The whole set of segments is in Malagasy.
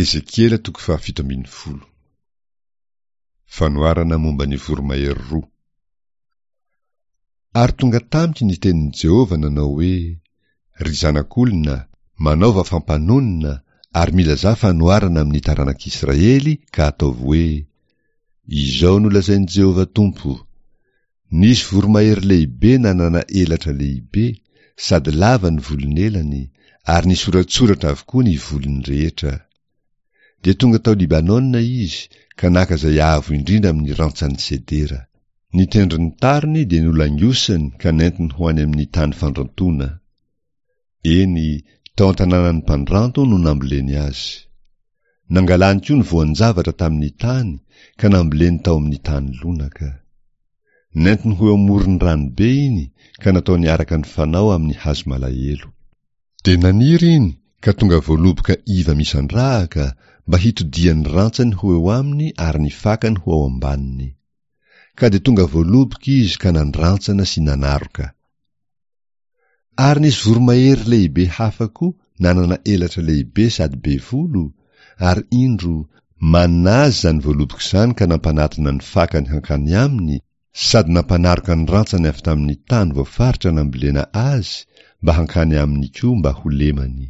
Ezekiela toko fahafito ambin'ny folo. Fanoharana momba ny voromahery roa. Ary tonga tamiko ny tenin'i Jehovah nanao hoe, Ry zanak'olona, manaova fampanonona ary milazà fanoharana amin'ny taranak'Israely ka ataovy hoe, Izao no lazain'i Jehovah Tompo, Nisy voromahery lehibe nanana elatra lehibe, sady lava ny volon'elany, ary nisoratsoratra avokoa ny volony rehetra. Dia tonga tao Libanona izy ka naka izay avo indrindra amin'ny rantsan'ny sedera. Ny tendron'ny tariny dia nolangosany ka nentiny ho any amin'ny tany fandrantoana. Eny, tao an-tanànan'ny mpandranto no namboleny azy. Nangalany koa ny voan-javatra tamin'ny tany ka namboleny tao amin'ny tany lonaka. Nentiny ho eo amoron'ny ranobe iny ka nataony araka ny fanao amin'ny hazo malahelo. Dia naniry iny ka tonga voaloboka iva misandrahaka mba hitodian'ny rantsany ho eo aminy ary ny fakany ho ao ambaniny. Ka dia tonga voaloboka izy ka nandrantsana sy nanaroka. Ary nisy voromahery lehibe hafa koa nanana elatra lehibe sady be volo, ary indro, manina azy izany voaloboka izany ka nampanatona ny fakany hankany aminy sady nampanaroka ny rantsany avy tamin'ny tany voafaritra nambolena azy mba hankany aminy koa mba ho lemany.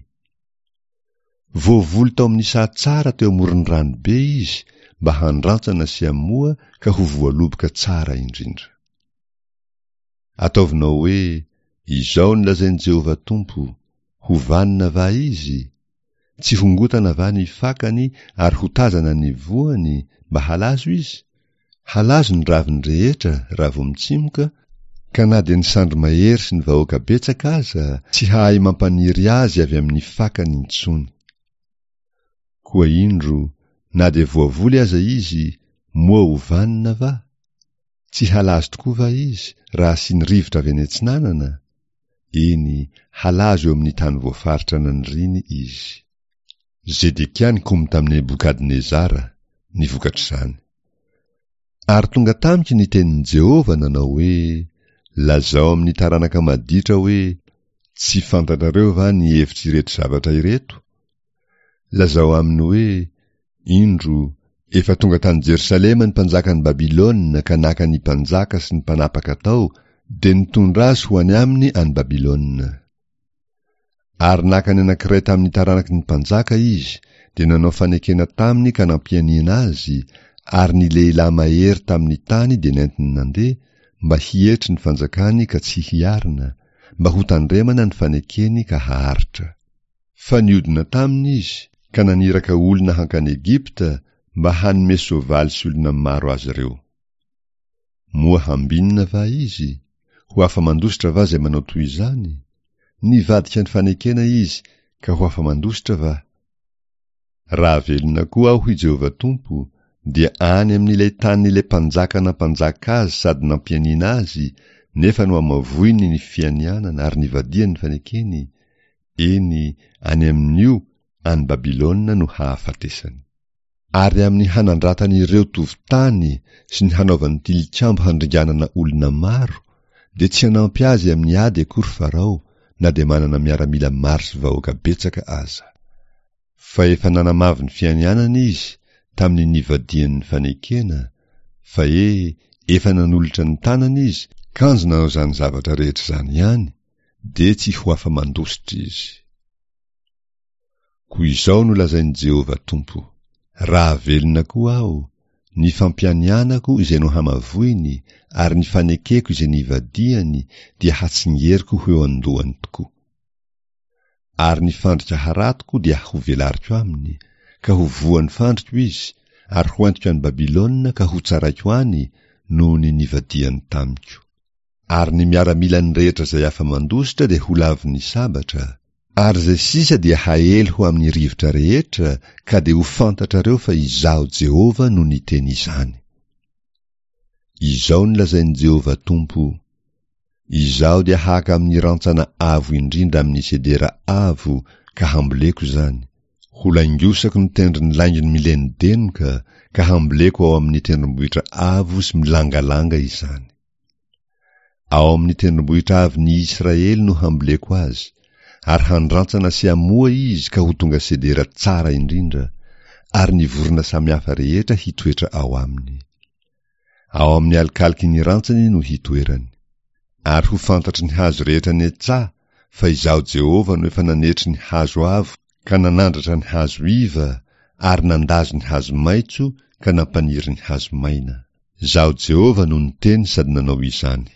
Voavoly tao amin'ny saha tsara teo amoron'ny rano be izy mba handrantsana sy hamoa ka ho voaloboka tsara indrindra. Ataovinao hoe, Izao no lazain'i Jehovah Tompo, Ho vanona va izy? Tsy hongotana va ny fakany ary hotazana ny voany mba halazo izy? Halazo ny raviny rehetra raha vao mitsimoka, ka na dia ny sandry mahery sy ny vahoaka betsaka aza tsy hahay mampaniry azy avy amin'ny fakany intsony. Koa indro, na dia voavoly aza izy, moa ho vanona va? Tsy halazo tokoa va izy raha asiany rivotra avy any atsinanana? Eny, halazo eo amin'ny tany voafaritra naniriany izy. Zedekia nikomy tamin'i Nebokadnezara, ny vokatr'izany. Ary tonga tamiko ny tenin'i Jehovah nanao hoe, Lazao amin'ny taranaka maditra hoe, Tsy fantatrareo va ny hevitr'ireto zavatra ireto? Lazao aminy hoe, Indro, efa tonga tany Jerosalema ny mpanjakan'i Babylona ka naka ny mpanjaka sy ny mpanapaka tao, dia nitondra azy ho any aminy any Babylona. Ary naka ny anankiray tamin'ny taranaky ny mpanjaka izy, dia nanao fanekena taminy ka nampianiana azy, ary ny lehilahy mahery tamin'ny tany dia nentiny nandeha, mba hietry ny fanjakany ka tsy hiarina, mba hotandremana ny fanekeny ka haharitra. Fa niodina taminy izy ka naniraka olona hankany Egypta mba hanome soavaly sy olona maro azy ireo. Moa hambinina va izy? Ho afa-mandositra va izay manao toy izany? Nivadika ny fanekena izy ka ho afa-mandositra va? Raha velona koa aho, hoy Jehovah Tompo, dia any amin'ilay tanin'ilay mpanjaka nampanjaka azy sady nampianiana azy, nefa nohamavoiny ny fianianana ary nivadihany ny fanekeny, Eny, any amin'io, any Babylona no hahafatesany. Ary amin'ny hanandratany ireo tovon-tany sy ny hanaovany tilikambo handringanana olona maro, dia tsy hanampy azy amin'ny ady akory Farao, na dia manana miaramila maro sy vahoaka betsaka aza. Fa efa nanamavo ny fianianany izy tamin'ny nivadiany ny fanekena, fa he, efa nanolotra ny tanany izy, kanjo nanao izany zavatra rehetra izany ihany, dia tsy ho afa-mandositra izy. Koa izao no lazain'i Jehovah Tompo, Raha velona koa aho, ny fampianianako izay nohamavoiny ary ny fanekeko izay nivadihany dia hatsingeriko ho eo an-dohany tokoa. Ary ny fandrika haratoko dia hovelariko aminy, ka ho voan'ny fandriko izy, ary hoentiko any Babylona ka hotsaraiko any noho ny nivadihany tamiko. Ary ny miaramilany rehetra izay afa-mandositra dia ho lavon'ny sabatra, ary izay sisa dia haely ho amin'ny rivotra rehetra, ka dia ho fantatrareo fa Izaho Jehovah no niteny izany. Izao no lazain'i Jehovah Tompo, Izaho dia haka amin'ny rantsana avo indrindra amin'ny sedera avo ka hamboleko izany, holaingosako ny tendron'ny laingony milenodenoka ka hamboleko ao amin'ny tendrombohitra avo sy milangalanga izany. Ao amin'ny tendrombohitra avon'i Israely no hamboleko azy, ary handrantsana sy hamoa izy ka ho tonga sedera tsara indrindra. ary ny vorona samihafa rehetra hitoetra ao aminy. Ao amin'ny alokaloky ny rantsany no hitoerany. Ary ho fantatry ny hazo rehetra any an-tsaha fa Izaho Jehovah no efa nanetry ny hazo avo ka nanandratra ny hazo iva ary nandazo ny hazo maitso ka nampaniry ny hazo maina. Izaho Jehovah no niteny sady nanao izany.